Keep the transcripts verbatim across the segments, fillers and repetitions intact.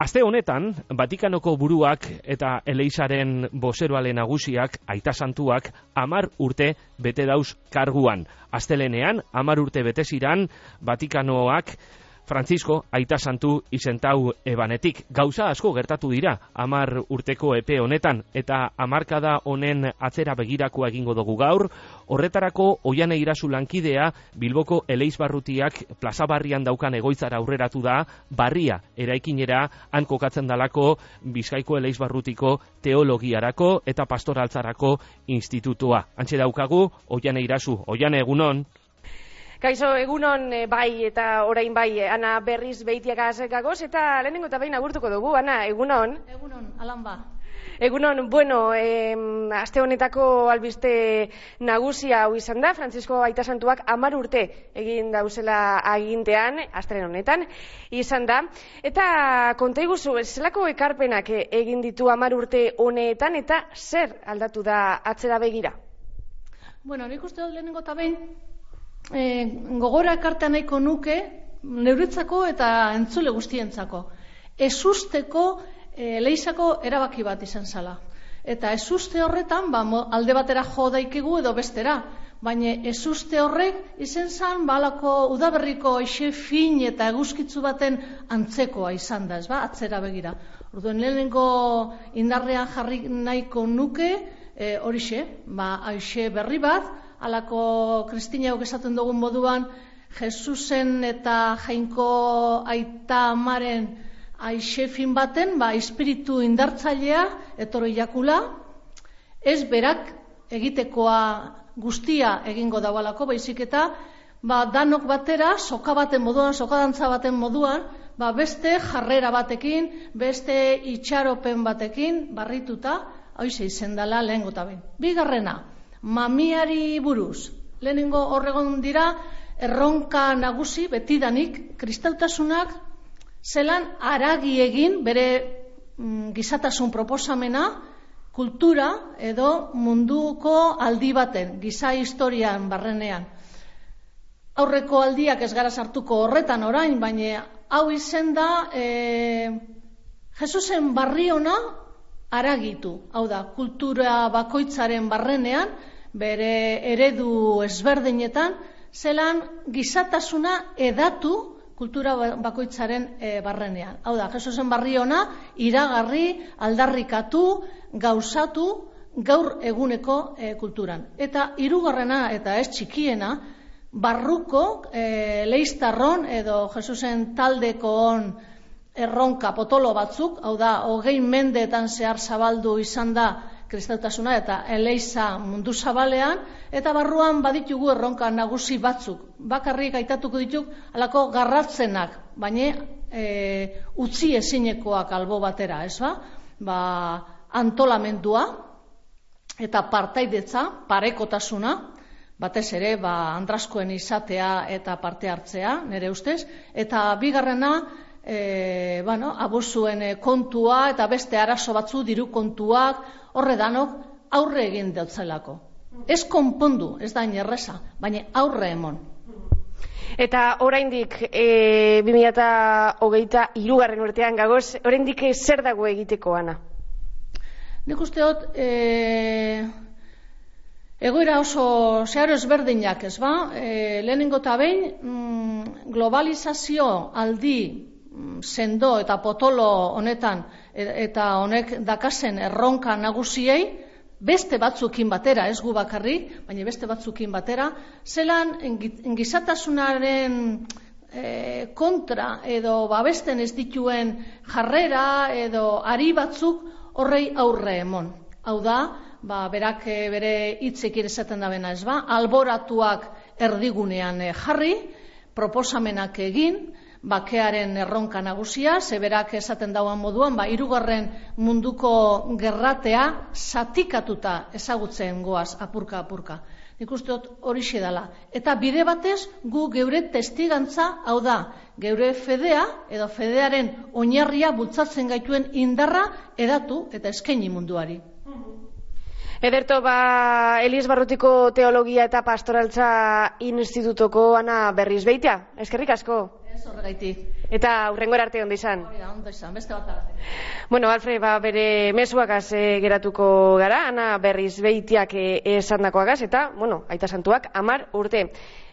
Aste honetan, Vatikanoko buruak eta Eleizaren bozeroale nagusiak, aita santuak, hamar urte bete dauz karguan. Astelenean, hamar urte bete ziran, Vatikanoak Francisco aita santu izentau ebanetik. Gauza asko gertatu dira, hamar urteko epe honetan, eta hamarkada honen atzera begirakoa egingo dugu gaur. Horretarako, Oiane Irazu lankidea, Bilboko Eleiz barrutiak plaza barrian daukan egoitzara aurreratu da, barria eraikinera han kokatzen dalako Bizkaiko Eleiz barrutiko teologiarako eta pastoraltzarako institutua. Hantxe daukagu, Oiane Irazu. Oiane, egunon. Kaixo, egunon bai eta orain bai, Ana berriz beitiagaz gagoz, eta lehenengo eta behin agurtuko dugu, Ana, egunon. Egunon, alan ba. Egunon, bueno, eh, aste honetako albiste nagusia hau izan da, Francisco aita santuak hamar urte egin dauzela agintean, astelen honetan, izan da. Eta konta iguzu, zelako ekarpenak egin ditu hamar urte honetan, eta zer aldatu da atzera begira? Bueno, nik uste dut lehenengo eta behin, E, gogora ekartea nahiko nuke neuretzako eta entzule guztientzako. Ezusteko e, Eleizako erabaki bat izan zala. Eta ezuste horretan ba, alde batera jo daikegu edo bestera. Baina ezuste horrek izan zan balako udaberriko eixe fin eta eguzkitzu baten antzekoa izan da, ez ba, atzera begira. Orduen lehenengo indarrean jarri nahiko nuke e, horixe, ba, aixe berri bat, halako Kristinauk esaten dugun moduan, Jesusen eta Jainko aita amaren aixefin baten, ba, espiritu indartzailea etorri jakula, ez berak egitekoa guztia egingo daualako, baizik eta ba, danok batera, soka baten moduan, sokadantza baten moduan, ba, beste jarrera batekin, beste itxaropen batekin, barrituta, hoize izendala lehengo eta behin. Bigarrena, mamiari buruz. Lehenengo horregon dira, erronka nagusi, betidanik, kristautasunak zelan aragi egin bere mm, gizatasun proposamena, kultura edo munduko aldi baten, giza historian barrenean. Aurreko aldiak ez gara sartuko horretan orain, baina hau izen da e, Jesusen barri ona aragitu. Hau da, kultura bakoitzaren barrenean, bere eredu ezberdinetan, zelan gizatasuna edatu kultura bakoitzaren e, barrenean. Hau da, Jesusen barri ona iragarri, aldarrikatu, gauzatu gaur eguneko e, kulturan. Eta hirugarrena eta ez txikiena, barruko e, leiztarron edo Jesusen taldeko on erronka potolo batzuk, hau da, hogei mendeetan zehar zabaldu izan da kristautasuna eta Eleiza mundu zabalean, eta barruan baditugu erronka nagusi batzuk. Bakarrik aitatuko dituk halako garratzenak, baina e, utzi ezinekoak albo batera, ez ba? Ba, antolamendua eta partaidetza, parekotasuna, batez ere, ba, andraskoen izatea eta parte hartzea, nire ustez, eta bigarrena, E, bueno, abusuen kontua eta beste arazo batzu diru kontuak horre danok aurre egin deutzelako. Ez konpondu, ez da inerreza, baina aurre emon. Eta oraindik e, bi mila hogeita hirugarren urtean gagoz, oraindik zer dago egiteko, Ana? Nik uste dut e, egoera oso zeharo ezberdinak, ez ba? E, lehenengo eta behin mm, globalizazio aldi sendo eta potolo honetan eta honek dakasen erronka nagusiei beste batzukin batera, ez gu bakarrik, baina beste batzukin batera, zelan gizatasunaren e, kontra edo babesten ez dituen jarrera edo ari batzuk horrei aurre emon. Hau da, ba, berak bere hitzekin esaten da bena, ez ba, alboratuak erdigunean jarri, proposamenak egin, bakearen erronka nagusia, zeberak esaten dauan moduan, ba, hirugarren munduko gerratea zatikatuta ezagutzen goaz apurka-apurka. Nik uste dut horixe dela. Eta bide batez gu geure testigantza, hau da, geure fedea edo fedearen oinarria bultzatzen gaituen indarra edatu eta eskaini munduari. Ederto, ba, Eliz Barrutiko Teologia eta Pastoraltza Institutoko Ana Berrizbeitia. Eskerrik asko. Ez horregaitik. Eta hurrengora arte ondo izan. Hori da, ondo izan, beste bat arte. Bueno, Alfred, ba, bere mezuagaz e, geratuko gara, Ana Berrizbeitiak e, esandakoagaz, eta, bueno, aita santuak hamar urte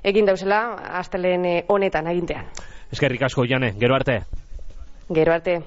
egin dauzela astelehen honetan agintean. Eskerrik asko, Jane, gero arte. Gero arte.